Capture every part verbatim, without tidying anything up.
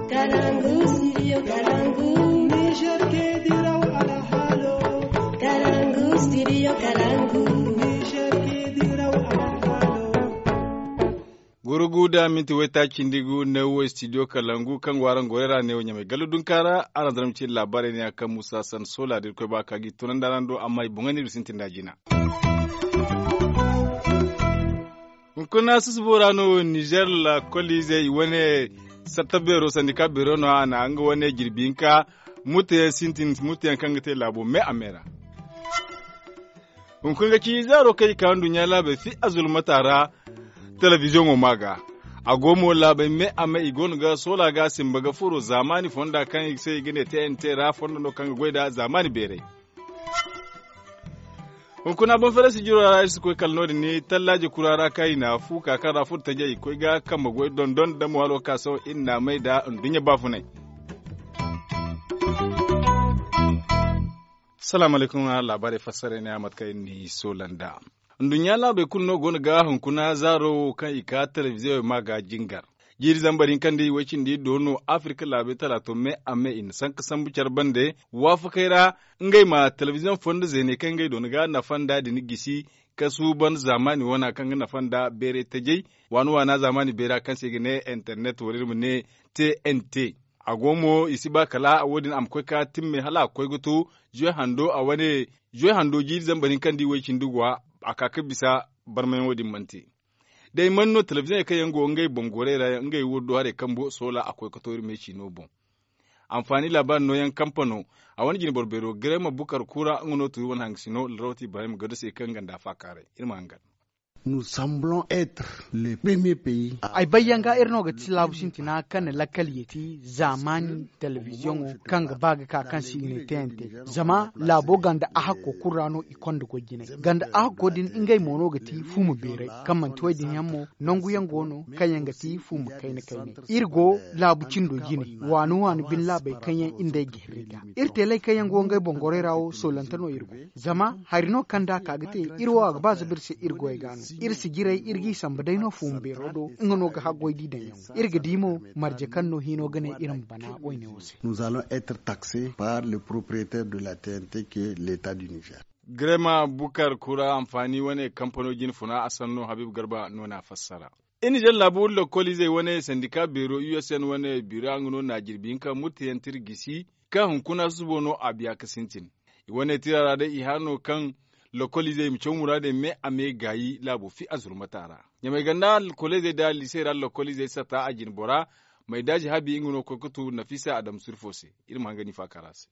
Kalangu, studio Kalangu. Niger ke diraw alhalo. Kalangu, studio Kalangu. Niger ke diraw alhalo. Gurugu da minti wayta cindi gu ne wo studio Kalangu kaŋ go araŋ goray ra ne wo ɲamay gallu dunka ra. Araŋ zara ma ci laabaarey ne ya kaŋ musa san sola da irkoy ba ka gi tunandi araŋ do amma i boŋey no iri sintin da jina. Hunkuna susubo ra no nizer lakoliizey i wane satta beero sandika beero no a na nga wane jirbi hinka murtayaŋ sintin murtayaŋ kaŋ ga te laabo me a me ra. Hunkuna ga ci zaaro kaŋ i ka nduɲɲa laabey fi azulmata ra. Telebiziyoŋo ma ga a go mo laabey me a me i go no ga soola ga simba ga furo zaamaani fonda kaŋ i se i ga ne te n te ra fondo no kaŋ ga goy nd'a zaamaani beerey. Hunkuna banfere sijiro ra iri si koy kala no- din ni tallaaje kura ra kaŋ i na fu ka kaŋ ra furo tajey i koy ga kambe goy dondon da mo halo ka sohõ iri na a may nd'a nduɲɲa baafunay. Salaamu alaykum. Laabaarey fassarey ne a mate kaŋ iri n'i soola nd'a. Nduɲɲa laabey kulu no go no ga hunkuna zaaro wo kaŋ i ka telebiziyoŋey ma ga jingar. Jiiri zambar hinka nda i way cindi do no afirka laabey talaato me a me i na sanka sambu care bande waafakey ra ngey ma telebiziyoŋ fondo zeeney kaŋ ngey doona ga nafa nd'a din gisi ka suuban zaamaani wana kaŋ ga nafa nda beeray tajey waana waana zaamaani beera kaŋ se i ga ne internet wala iri ma ne tnt. A go mo i si ba kala wo- din a ma koy ka timme hala a ga koy ga to zuwe hando a wane zuwe hando jiiri zambar hinka nda i way cindi go a ka ga bisa barmayaŋo din mana te. Day man no telebiziyoŋey kaŋ yaŋ go ngey boŋ gorey ra ngey wurdo harey kambo soola a koy ga to iri me ciino boŋ. Anfaani laabaari nooyaŋ kampano a wane jinboro beero garema bukar kura nga no turi wane hangasino larawti ibrahim gado se kaŋ ganda faakaaray iri ma hangan. Ay bay yaŋ ga iri no ga ti laabu sintina kaŋ na lakkal yeeti zaamaani telebiziyoŋo kaŋ ga ba ga ka kaŋ se i ga ne tnt. Zama laabo ganda ahakko kulu ra no i konda goy jinay ganda ahakko din ngey mo no ga ti fuuma beeray kaŋ manti wo- din yaŋ mo nangu yaŋ go no kaŋ yaŋ ga ti fuuma kayna kaynay. Iri go laabu cindo jine waani waani bine laabey kaŋ yaŋ iri nd'ey ga hirri ga iri teeley kaŋ yaŋ go ngey boŋ gorey ra wo soolante no iri go. Zama hari no kaŋ da a ka ga te iri wo a ga ba zaba iri se iri goy ga no. Iri si jiray iri g'i samba day no fuuma beero do nga no ga haggoy di daŋ yaŋ. Iri ga di mo marje kaŋ no hino ga ne iri ma bana wayne wo se. Nous allons être taxés par le propriétaire de la tnt que l'état du niger. Grema bukar kura anfaani wane kampano jine funa a sanno habiibu garba no na a fassara. Iri na jallabu lakkoliizey wane sandika beero usn wane bira nga no na jirbi hinka murtayaŋ tira gisi kaŋ hunkuna susubo no a biya ga sintin. I wane tira ra day i hã no kaŋ lakkoliizey i ma caw muraadey me a me gaayi laabo fi azurmata ra. Ɲamay ganda lakkoliizey da liisey ra lakkoliizey sata a jinbora maydaazi habi nga no koy ga tu nafisa adama surfo se. Iri ma hanga ni faakara se.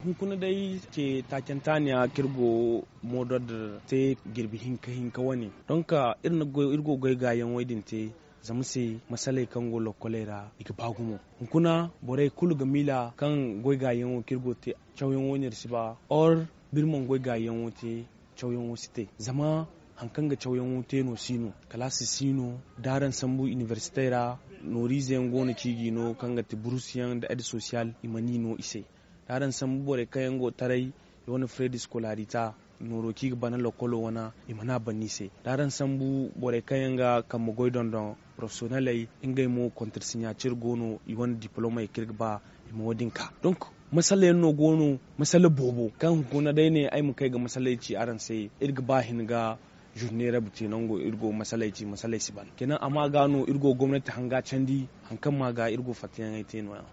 Hunkuna day ce taacanta ne ya kaŋ iri go moodor da te jirbi hinka hinka wane. Donk iri go ga goy gaayaŋ wo- din te zama se masaley kaŋ go lokkoley ra i ga ba gumo. Hunkuna borey kulu ga miila kaŋ goy gaayaŋo kaŋ iri go ga te cawyaŋo no iri si ba or da iri mana goy gaayaŋo te cawyaŋo si te. Zama hari kaŋ ga cawyaŋo te no si no kalaasi si no da araŋ sambu inibersitey ra. Nooriize yaŋ go no ciiji no kaŋ ga ti burus yaŋ nda ed sosiyal i mana i no i se. Da araŋ sambu borey kaŋ yaŋ go taray i wane fere da iskolaarita nooro kaŋ i ga bana lokkolo wane i mana a bana i se. Da araŋ sambu borey kaŋ yaŋ ga kambe goy dondon porofesiyoneley ngey mo kontarsiɲaacir go no i wane dipolomey kaŋ iri ga ba i ma wo- din ka. Donk masala yaŋ no go no masala boobo kaŋ hunkuna day ne ay ma kay ga masaley ci araŋ se. Iri ga ba hin ga zurne rabu te nango iri go masaley ci masaley si ban kenan amma ga no iri go gomnati hanga candi hari kaŋ ma ga iri go fattayaŋey te no- ya.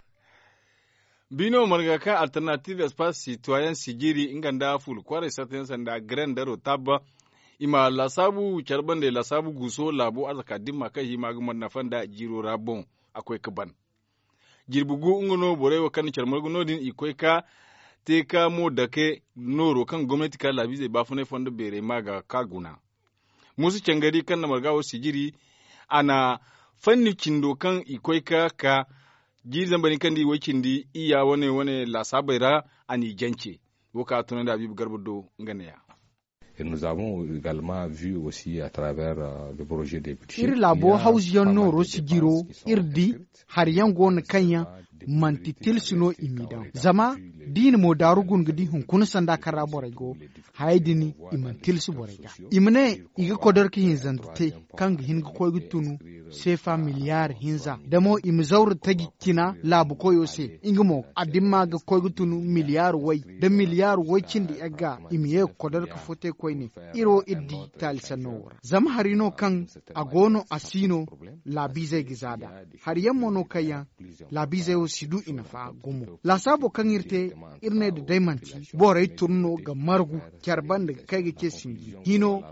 Biino marga kaŋ alternative espace citoyen sijiri nga nda fuula kwaaray sartayaŋ sanda green daro tabba i ma laasaabu care bande laasaabu guuso laabo arzaka dimma kaŋ hima ga mana nafa nda jiiro ra boŋ. A koy ga ban jirbi gu nga no borey wo kaŋ na care margu no- din i koy ga te ga mo dake nooro kaŋ gomnati ka laabiizey baafunay fondo beerey ma ga ka guna. Muusa cangari kaŋ na marga wo sijiri a na fanni cindo kaŋ i koy ga ka jiiri zambar hinka nda i way cindi iyya wane wane laasaabey ra. A n'i jance wo kaŋ a tunandi habiibu garba do nga ne- ya. Iri laabo hawzu yaŋ nooro sijiro iri di hari yaŋ go no kaŋ yaŋ manti tilsi no i m'i daŋ zama da i na mo daaru guna ga di hunkuna sanda kaŋ ra borey go. Hayey din i mana tilsi borey ga i ma ne i ga kodor ga hinzanta te kaŋ ga hin ga koy ga tunu. seefa miliyaari hinza da mo i ma zawru taji cina laabu koyo se nga mo a dimma ga koy ga tun miliyaari way da miliyaari way cindi yagga i ma ye ga kodor ga fo te koyne. Iri wo iri di taali sanno wo ra zama hari no kaŋ a go no a si no laabiizey ga za nd'a. Hari yaŋ mo no kaŋ yaŋ laabiizey wo si du i nafa gumo laasaabo kaŋ iri te. Iri ne nda day manti borey tun no ga margu care banda ga kay ga ce sinji hino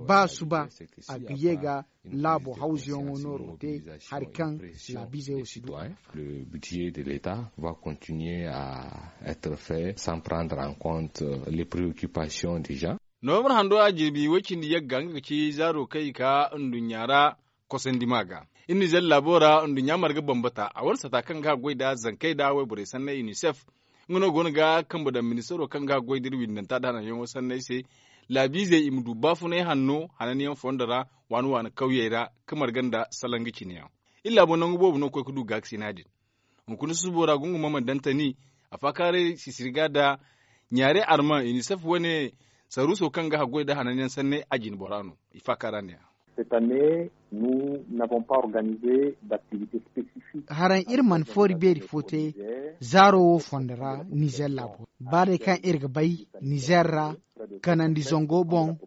ba suba a ga ye ga laabo hawzuyaŋo nooro te hari kaŋ laabiizey wo si du a nafa. Le budget de l'état va continuer à être fait sans prendre en compte les préoccupations des gens. Novembre hando a jirbi way cindi yagga nga ga ci zaaro kaŋ i ka nduɲɲa ra kosandi ma ga. Iri nizer laabo ra nduɲɲa marga bambata a wane sata kaŋ ga goy nda zankey nda wayborey sanney unicef. Nga no go no ga kambe daŋ ministaro kaŋ ga goy nda iri windanta nda hananyaŋo sanney se. Laabiizey i ma du baafunay hanno hananyaŋ fondo ra waani waani kawyey ra ka marga nda salaŋ ga cine yaŋ. Iri laabo nangu boobo no ga koy ga du gaakasina din. Hunkuna susubo ra gungu ma mana daŋ tani a faakaaray sisiri ga nda ɲaare arman unicef wane saruuso kaŋ ga haggoy nda hananyaŋ sanney a jine bora no. I faakaara ne ya. Cette année nous n'avons pas organisé d'activité spécifique. Haraŋ iri mana foori beeri fo te zaaro wo fondo ra nizer laabo ra ba day kaŋ iri ga bay nizer ra kanandi zango boŋ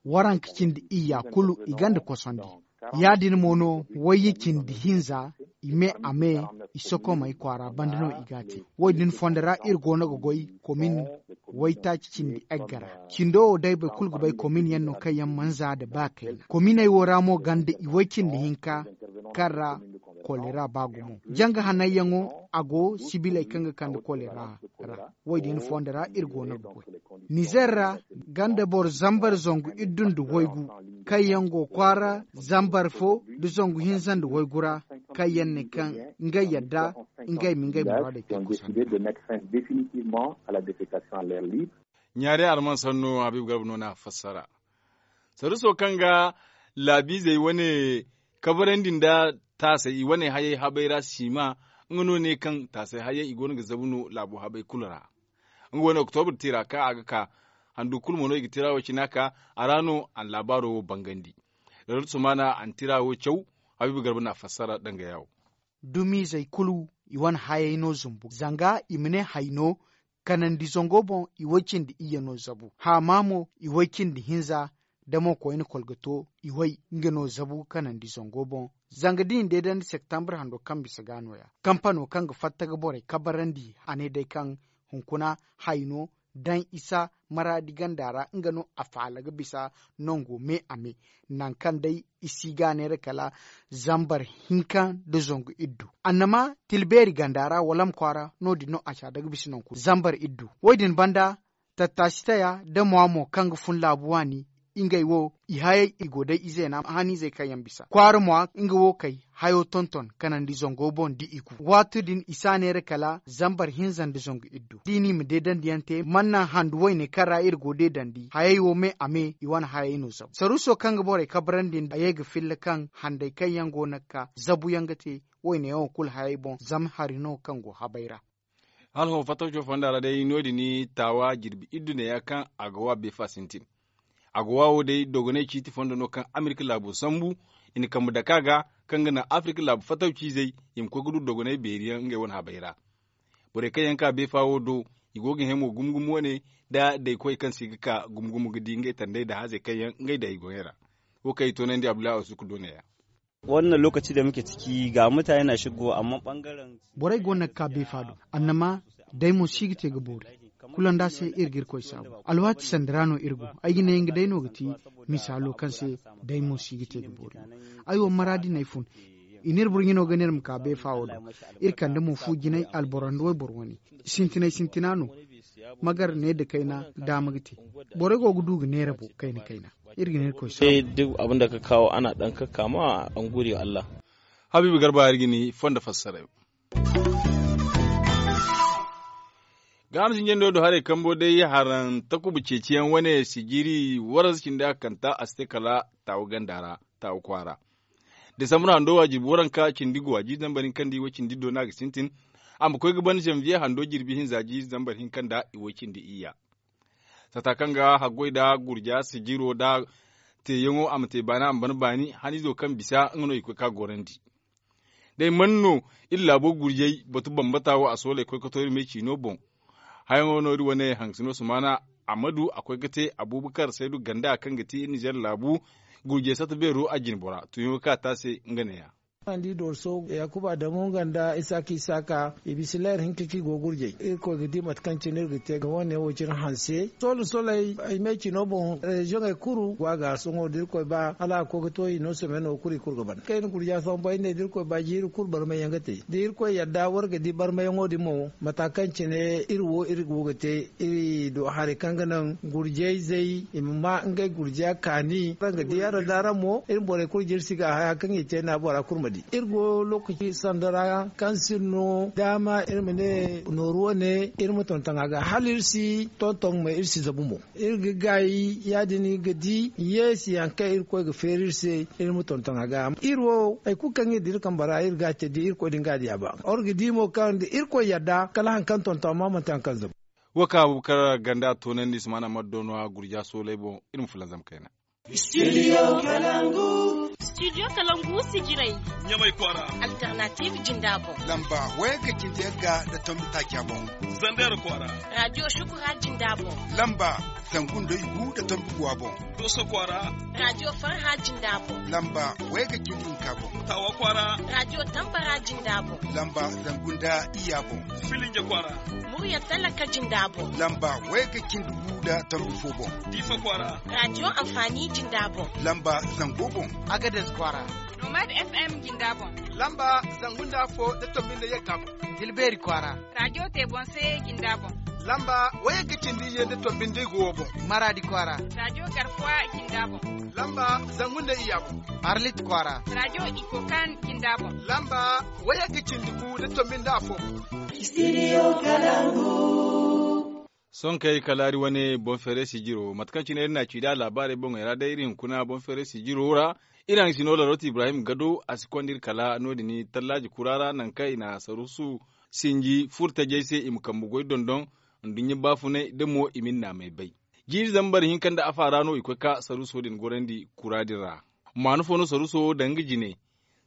waranka cindi iyya kulu i gonda kosandi. Ya- din mo no wayye cindi hinza i me a me i sokomey kwaara banda no i g'a te. Wo- din fondo ra iri go no ga goy komin waytaaci cindi egga ra. Cindo wo day boro kulu ga bay komin yaŋ no kaŋ yaŋ mana za nda ba kayna kominey wo ra mo gonda iway cindi hinka kaŋ ra kolera ba gumo janga hanayyaŋo a go sibiley kaŋ ga kande kolera ra. Wo- din fondo ra iri go no ga goy nizer ra gonda boro zambar zangu iddu nda waygu kaŋ yaŋ go kwaara zambar fo nda zangu hinza nda waygu ra kaŋ yaŋ ne kaŋ ngey yadda ngey ma ngey muraadey te kosonda. Ɲaari arman sanno habiibu garba no na a fassara. Saruso kaŋ ga laabiizey wane kabarandi nda taasay i wane hayey habay ra siima nga no ne kaŋ taasay hayey i go no ga zabu no laabo habay kulu ra. Nga wane oktobre tira kaŋ a ga ka handu kulu mo no i ga tira wo cina ka a ra no a na laabaaro wo bangandi. Lorot sumaana a na tira wo caw habiibu garba na a fassara danga yaawo. Dumiizey kulu i wane hayey no zumbu zanga i ma ne hay no kanandi zango boŋ i way cindi iyye no zabu haama mo i way cindi hinza da mo koyne kolgato i way nga no zabu kanandi zango boŋ. Zanga da i na deedandi septembre hando kaŋ bisa ga no- ya kampano kaŋ ga fatta ga borey kabarandi a ne day kaŋ hunkuna hay no daŋ isa maraadi ganda ra nga no a faala ga bisa nango me a me. Nangu kaŋ day i si ga a neera kala zambar hinka nda zangu iddu annama tilbeeri ganda ra wala ma kwaara no- din no a si a daga bisa nangu zambar iddu wo- din banda tattaasi taya da mwa mo kaŋ ga fun laabu waani ngey wo i hayey i go day izeena haniizey kaŋ yaŋ bisa kwaara mwa nga wo kay hayo tonton kanandi zango boŋ da i ku waati din i si a neera kala zambar hinza nda zangu iddu da i n'i ma deedandi yaŋ te mana naŋ handu wayne kaŋ ra iri go deedandi hayey wo me a me i wane hayey no zabu saruuso kaŋ ga borey kabrandi nda a ye ga filla kaŋ handay kaŋ yaŋ go no ga ka zabu yaŋ ga te wayne yaŋo kulu hayey boŋ zama hari no kaŋ go habay ra. Hala hõ fatawco fonda ra day no- din taawa jirbi iddu neeya kaŋ a ga wa beefa sintin. A ga wa wo day dogonay ciiti fondo no kaŋ amerika laabo sambu i na kambe dake a ga kaŋ ga naŋ afirika laabu fatawciizey i ma koy ga du dogonay beeri yaŋ ngey wane habey ra. Borey kaŋ yaŋ ka beefa wo do i go ga hẽ mo gumo gumo wane nda daykoy kaŋ se ga ka gumo gumo ga di ngey tandey nda haazey kaŋ yaŋ ngey daŋ i goyey ra. Wo kaŋ i toonandi abdullahi asuku do neeya. Wannan lokaci da muke ciki ga mutane na shigo amma bangaren borey go no ga ka beefa do annama day mo si ga te ga boori. Kulu nda se iri ga irkoy saabu alwaati sanda ra no iri go. Ay ga ne nga day no ga ti misaalo kaŋ se day mo si ga te ga boori. Ay wo maraadi no ay fun i n'iri burɲino ga ne iri ma ka beefa wo do. Iri kande mo fu jinay alboro nda wayboro wane sintinay sintina no. Magar ne nda kayna daama ga te. Borey go ga du ga neera bo kayna kayna. Iri ga ne irkoy saabu. Duk abin da ka kawo ana dan kakkama an gode wa Allah. Habiibu garba iri ga ni fondo fassarayo. Ga hamsin jando do haray kambo day haran takuba ceeciyaŋ wane sijiri waransa cindi a kanta a si te kala taawu ganda ra taawu kwaara. Desambur hando waajibi waranka cindi go waajibi zambar hinka nda i way cindi do no a ga sintin. A ma koy ga ban zanviye hando jirbi hinza jiiri zambar hinka nda i way cindi iyya. Sata kaŋ ga haggoy nda gurja sijiro nda teeyaŋo a ma te baani a ma ban baani haniizo kaŋ bisa nga no i ga koy ga gorandi. Day man no iri laabo gurjey batu bambata wo a sooley koy ga to iri me ciino boŋ. Hayaŋo no iri wane haŋsino sumaana, amadu a koy ga te abuubakar saydu ganda kaŋ ga ti iri nizer laabu gurjey satta beero a jine bora tuuyaŋo kaŋ a te a se nga neeya. Andi dorso yakuba damu nga nda isaaka isaaka i bisa leer hinka kaŋ i go ga gurjey irkoy ga di mate kaŋ cine iri ga te ga wane wo cine hanse sola soley ay me cino boŋ reziyoŋey kulu go a ga sohõ da irkoy ba hala a ga koy ga to i no someno kulu i kulu ga ban kayna gurja sohõ bay ne da irkoy ba jiiri kulu barmay yaŋ ga te da irkoy yadda war ga di barmayaŋo din mo mata kaŋ cine iri wo iri go ga te iri do haray kaŋ ga naŋ gurjey zey i ma ma ngey gurja kaani araŋ ga di araŋ da araŋ mo iri borey kulu jirsi ga a haya kaŋ i te na bora kulu ma di iri go lokaci sanda ra kaŋ si no daama iri ma ne nooru wane iri ma tonton a ga hala iri si tonton ma iri si zabu mo iri ga gaayi ya- din ga di yeesi yaŋ kaŋ irkoy ga feeri iri se iri ma tonton a ga iri wo hari kulu kaŋ iri di iri kambe ra iri ga a te da irkoy din ga a diya ba war ga di mo kaŋ da irkoy yadda kala hari kaŋ tonton amma manti hari kaŋ zabu. Wo kaŋ abubakar ganda toonandi sumaana maddo no a gurja sooley boŋ iri ma fulanzam kayna. Studio kalangu sijirey ɲamay kwaara alternative jinda boŋ lamba wayga cindi yagga nda tombi taaca boŋ. Zandeera kwaara radio shukura jinda boŋ lamba zangu nda yugu nda tombi guwa boŋ. Dooso kwaara radio farha jinda boŋ lamba wayga cindi hinka boŋ. Taawa kwaara radio tambara jinda boŋ lamba zangu nda iyya boŋ. Filinja kwaara murya talaka jinda boŋ lamba wayga cindi gu nda tombi fo boŋ. Diifa kwaara radio anfaani jinda boŋ lamba zango boŋ. Agades kwaara nomad fm jinda boŋ lamba zangu nda afo nda tombi nda yagga boŋ. Tilbeeri kwaara radio te boŋ se jinda boŋ lamba wayga cindi iyye nda tombi nda igu wo boŋ. Maraadi kwaara radio garkuwa jinda boŋ lamba zangu nda iyya boŋ. Arlit kwaara radio ikokan jinda boŋ lamba wayga cindi gu nda tombi nda afo boŋ. Studio kalangu sonkey kala iri wane boŋ feere sijiro mate kaŋ cine iri n'a ci da laabaarey boŋey ra day iri hunkuna boŋ feere sijiro ra. Iri haŋ si no larot ibrahim gado a si konda iri kala no- din tallaaji kura ra nangu kaŋ i na saruusu sinji furtajey se i ma kambe goy dondon nduɲɲa baafunay da mo i ma iri naamey bay. Jiiri zambar hinka nda afa ra no i koy ga saruuso din gorandi kura din ra. Maanu fo no saruuso wo daŋ nga jine.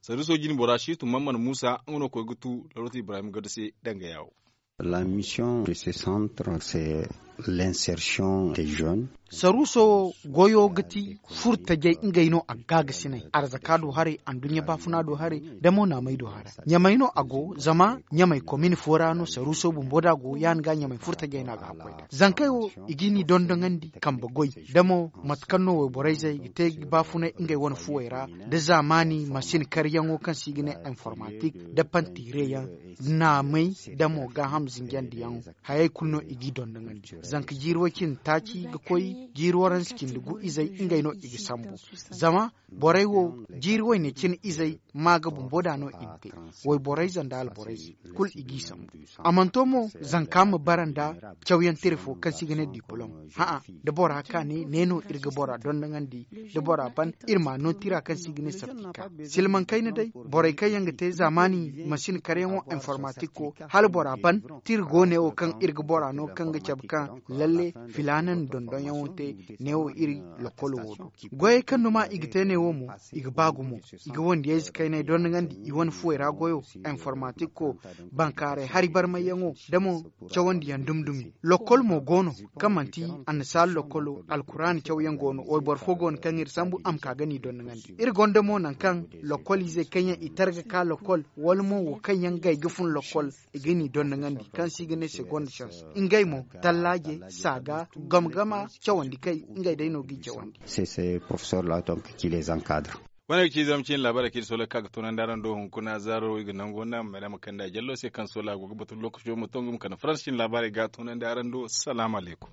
Saruuso jine bora situ mamman muusa nga no koy ga tu larot ibrahim gado se danga yaawo. La mission de ce centre c'est l'insertion des jeunes. Saruuso wo goyo ga ti furtajey ngey no a gaagasinay arzaka do haray anduɲɲa baafuna do haray da mo naamay do haray. Ɲamay no a go zama ɲamay komin fo ra no saruuso bumbo da go ya- din ga ɲamay furtajey no a ga hakkoy da zankey wo i ga ni dondoŋandi kambe goy da mo mate kaŋ no wayborayzey ga te ga baafunay ngey wane fuwey ra da zaamaani masin karyaŋo kaŋ se i ga ne informatik da pantireyaŋ naamay da mo gaaham zinjandiyaŋ. Hayey kulu no i g'i dondoŋandi zanka jiiri way cindi taaci ga koy jiiri waranza cindi gu izey ngey no i ga sambu. Zama borey wo jiiri wayne cine izey ma ga bumbo da no i na te wayborayze nda alborayze kulu i g'i sambu. A mana to mo zanka ma bara nda cawyaŋ tire fo kaŋ se i ga ne dipolom. Hã'a da bora ka ne ne no iri ga bora dondoŋandi da bora ban iri ma no tira kaŋ se i ga ne sartika silmaŋ kayna day borey kaŋ yaŋ ga te zaamaani mansin karyaŋo informatiko hala bora ban tira go neewo kaŋ iri ga bora no kaŋ ga cabe kaŋ lalle filaana na dondonyaŋo te neewo iri lokolo wo do. Goyey kaŋ duma i ga te neewo mo i ga ba gumo i ga wandiyayze kaynay dondoŋandi i wane fuwey ra goyo informatiko bankaaray hari barmayyaŋo da mo cawandiyaŋ dumi-dumi. Lokkol mo go no kaŋ manti annasaara lokkolo alkuraana cawyaŋ go no wayboro fo go no kaŋ iri sambu a ma ka ga ni dondoŋandi iri gonda mo nangu kaŋ lokkol izey kaŋ yaŋ i targa ka lokkol wala mo wo kaŋ yaŋ gay ga fun lokkol i ga ni dondoŋandi kaŋ se i ga ne se gonda cans ngey mo tallaaje saaga gama-gama cawandi kay ngey day no g'i cawandi. C'est ces professeurs là donc qui les encadrent. Wane ga ci zama cine laabaarey kaŋ iri soolay ga ka ga toonandi araŋ do hunkuna zaaro i ga nango naamey ra ma kande a jallo se kaŋ soolay a go ga batu lokaco ma to nga ma kande faransa cine laabaarey ga toonandi araŋ do salaamu alaykum.